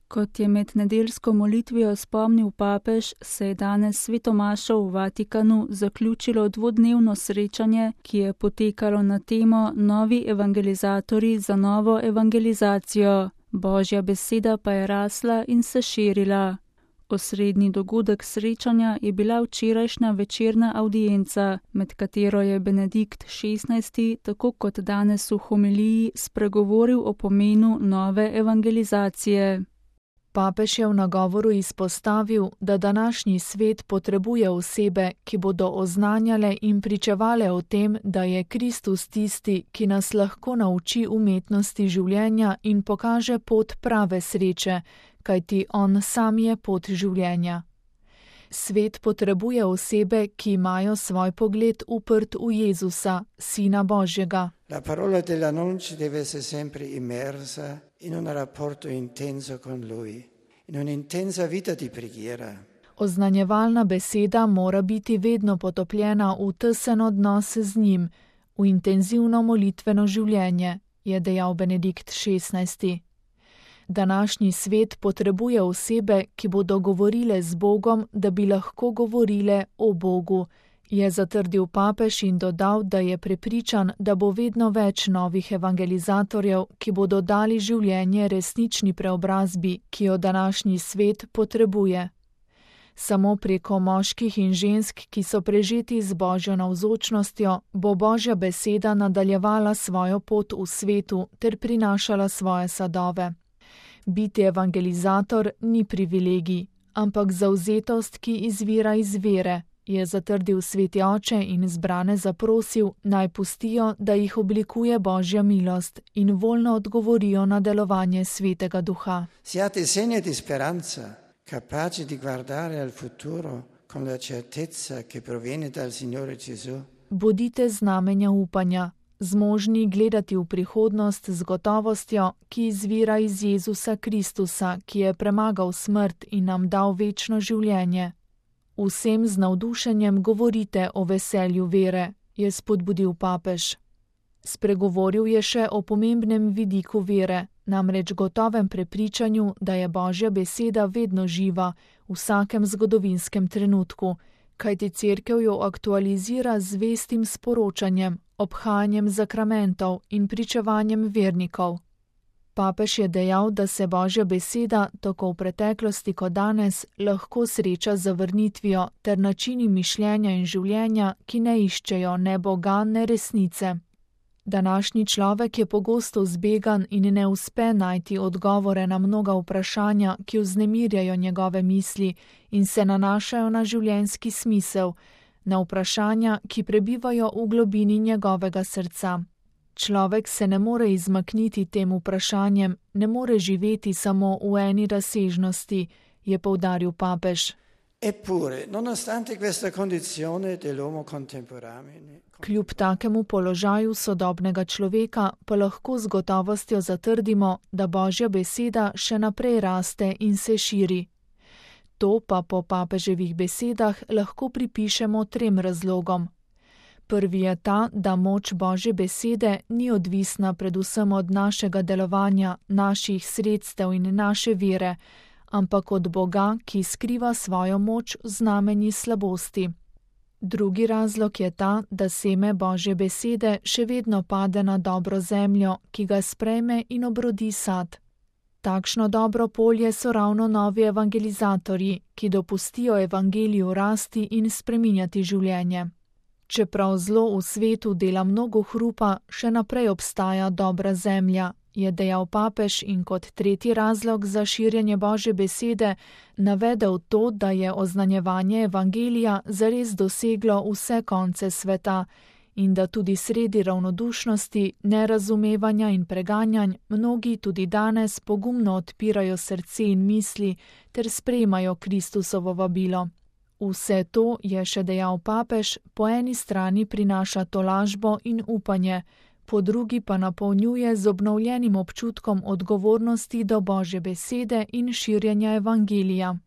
Kot je med nedeljsko molitvijo spomnil papež, se je danes svetomašo v Vatikanu zaključilo dvodnevno srečanje, ki je potekalo na temo Novi evangelizatorji za novo evangelizacijo. Božja beseda pa je rasla in se širila. Osrednji dogodek srečanja je bila včerajšnja večerna avdienca, med katero je Benedikt XVI, tako kot danes v homiliji, spregovoril o pomenu nove evangelizacije. Papež je v nagovoru izpostavil, da današnji svet potrebuje osebe, ki bodo oznanjale in pričevale o tem, da je Kristus tisti, ki nas lahko nauči umetnosti življenja in pokaže pot prave sreče, kajti on sam je pot življenja. Svet potrebuje osebe, ki imajo svoj pogled uprt v Jezusa, Sina Božjega. La parola dell'annuncio deve essere sempre immersa in un rapporto intenso con Lui, in un'intensa vita di preghiera. Oznanjevalna beseda mora biti vedno potopljena v tesen odnos z njim, v intenzivno molitveno življenje, je dejal Benedikt XVI. Današnji svet potrebuje osebe, ki bodo govorile z Bogom, da bi lahko govorile o Bogu, je zatrdil papež in dodal, da je prepričan, da bo vedno več novih evangelizatorjev, ki bodo dali življenje resnični preobrazbi, ki jo današnji svet potrebuje. Samo preko moških in žensk, ki so prežeti z Božjo navzočnostjo, bo Božja beseda nadaljevala svojo pot v svetu ter prinašala svoje sadove. Biti evangelizator ni privilegij, ampak zavzetost, ki izvira iz vere, je zatrdil sveti oče in zbrane zaprosil, naj pustijo, da jih oblikuje Božja milost in voljno odgovorijo na delovanje Svetega Duha. Siate segni di speranza, capaci di guardare al futuro con la certezza che proviene dal Signore Gesù. Bodite znamenja upanja, zmožni gledati v prihodnost z gotovostjo, ki izvira iz Jezusa Kristusa, ki je premagal smrt in nam dal večno življenje. Vsem z navdušenjem govorite o veselju vere, je spodbudil papež. Spregovoril je še o pomembnem vidiku vere, namreč gotovem prepričanju, da je Božja beseda vedno živa v vsakem zgodovinskem trenutku, kajti Cerkev jo aktualizira z zvestim sporočanjem, obhajanjem zakramentov in pričevanjem vernikov. Papež je dejal, da se Božja beseda, tako v preteklosti kot danes, lahko sreča z zavrnitvijo ter načini mišljenja in življenja, ki ne iščejo ne Boga, ne resnice. Današnji človek je pogosto zbegan in ne uspe najti odgovore na mnoga vprašanja, ki vznemirjajo njegove misli in se nanašajo na življenjski smisel, na vprašanja, ki prebivajo v globini njegovega srca. Človek se ne more izmakniti tem vprašanjem, ne more živeti samo v eni razsežnosti, je poudaril papež. Eppure, nonostante questa condizione dell'uomo contemporaneo, Kljub takemu položaju sodobnega človeka pa lahko z gotovostjo zatrdimo, da Božja beseda še naprej raste in se širi. To pa po papeževih besedah lahko pripišemo 3 razlogom. Prvi je ta, da moč Božje besede ni odvisna predvsem od našega delovanja, naših sredstev in naše vere, ampak od Boga, ki skriva svojo moč v znamenji slabosti. Drugi razlog je ta, da seme Božje besede še vedno pade na dobro zemljo, ki ga sprejme in obrodi sad. Takšno dobro polje so ravno novi evangelizatorji, ki dopustijo evangeliju rasti in spreminjati življenje. Čeprav zlo v svetu dela mnogo hrupa, še naprej obstaja dobra zemlja, je dejal papež in kot tretji razlog za širjenje Božje besede navedel to, da je oznanjevanje evangelija zares doseglo vse konce sveta in da tudi sredi ravnodušnosti, nerazumevanja in preganjanj mnogi tudi danes pogumno odpirajo srce in misli ter sprejemajo Kristusovo vabilo. Vse to, je še dejal papež, po eni strani prinaša tolažbo in upanje, po drugi pa napolnjuje z obnovljenim občutkom odgovornosti do Božje besede in širjenja evangelija.